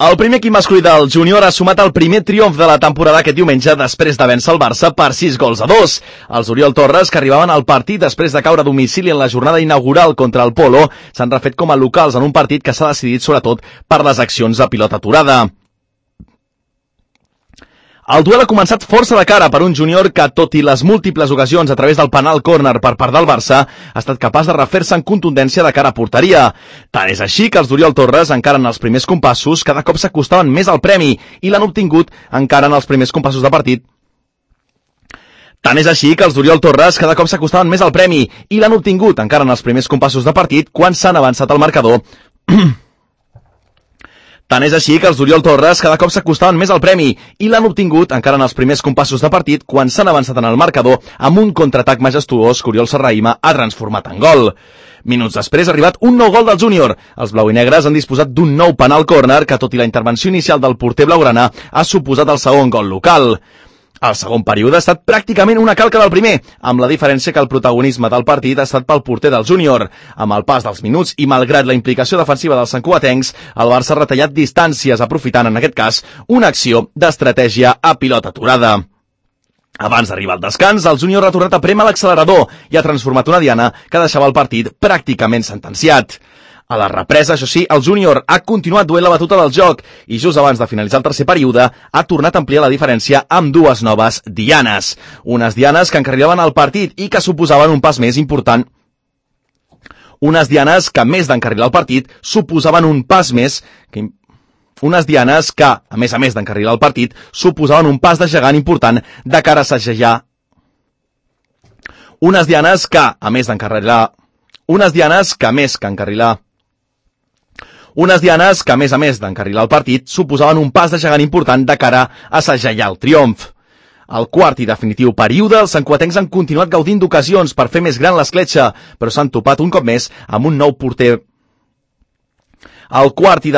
El primer equip masculí del júnior ha sumat el primer triomf de la temporada aquest diumenge després de vèncer el Barça per 6-2. Els Oriol Torres, que arribaven al partit després de caure a domicili en la jornada inaugural contra el Polo, s'han refet com a locals en un partit que s'ha decidit sobretot per les accions de pilota aturada. El duel ha començat força de cara per un júnior que, tot i les múltiples ocasions a través del penal córner per part del Barça, ha estat capaç de refer-se en contundència de cara a porteria. Tant és així que els d'Oriol Torres, encara en els primers compassos, cada cop s'acostaven més al premi i l'han obtingut encara en els primers compassos de partit. Tant és així que els d'Oriol Torres cada cop s'acostaven més al premi i l'han obtingut encara en els primers compassos de partit quan s'han avançat al marcador. Tant és així que els d'Oriol Torres cada cop s'acostaven més al premi i l'han obtingut encara en els primers compassos de partit quan s'han avançat en el marcador amb un contraatac majestuós que Oriol Serrahima ha transformat en gol. Minuts després ha arribat un nou gol del júnior. Els blau i negres han disposat d'un nou penal córner que, tot i la intervenció inicial del porter blaugrana, ha suposat el segon gol local. El segon període ha estat pràcticament una calca del primer, amb la diferència que el protagonisme del partit ha estat pel porter del júnior. Amb el pas dels minuts i malgrat la implicació defensiva dels santcugatencs, el Barça ha retallat distàncies, aprofitant en aquest cas una acció d'estratègia a pilota aturada. Abans d'arribar al descans, el júnior ha tornat a prémer l'accelerador i ha transformat una diana que deixava el partit pràcticament sentenciat. A la represa, això sí, el júnior ha continuat duent la batuta del joc i just abans de finalitzar el tercer període ha tornat a ampliar la diferència amb dues noves dianes. Unes dianes que encarrilaven el partit i que suposaven un pas més important. Unes dianes que, a més d'encarrilar el partit, suposaven un pas més... Unes dianes que, a més d'encarrilar el partit, suposaven un pas de gegant important de cara a assajar. Unes dianes que, a més d'encarrilar... Unes dianes que, a més d'encarrilar el partit, suposaven un pas de gegant important de cara a assajar el triomf. Al quart i definitiu període, els santcugatencs han continuat gaudint d'ocasions per fer més gran l'escletxa, però s'han topat un cop més amb un nou porter. Al quart i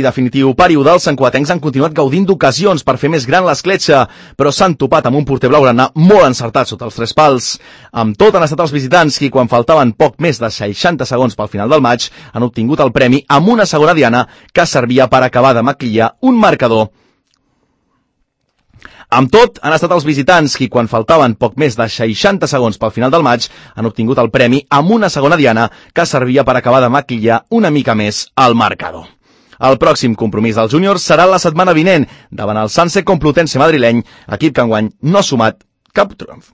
definitiu període, els santcugatencs han continuat gaudint d'ocasions per fer més gran l'escletxa, però s'han topat amb un porter blaugrana molt encertat sota els tres pals. Amb tot, han estat els visitants qui, quan faltaven poc més de 60 segons pel final del maig, han obtingut el premi amb una segona diana que servia per acabar de maquillar un marcador. Amb tot, han estat els visitants qui, quan faltaven poc més de 60 segons pel final del maig, han obtingut el premi amb una segona diana que servia per acabar de maquillar una mica més el marcador. El pròxim compromís dels júniors serà la setmana vinent davant el Sanse Complutense madrileny, equip que enguany no ha sumat cap triomf.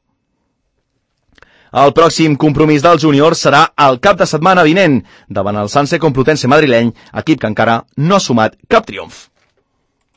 El pròxim compromís dels júniors serà el cap de setmana vinent davant el Sanse Complutense madrileny, equip que encara no ha sumat cap triomf.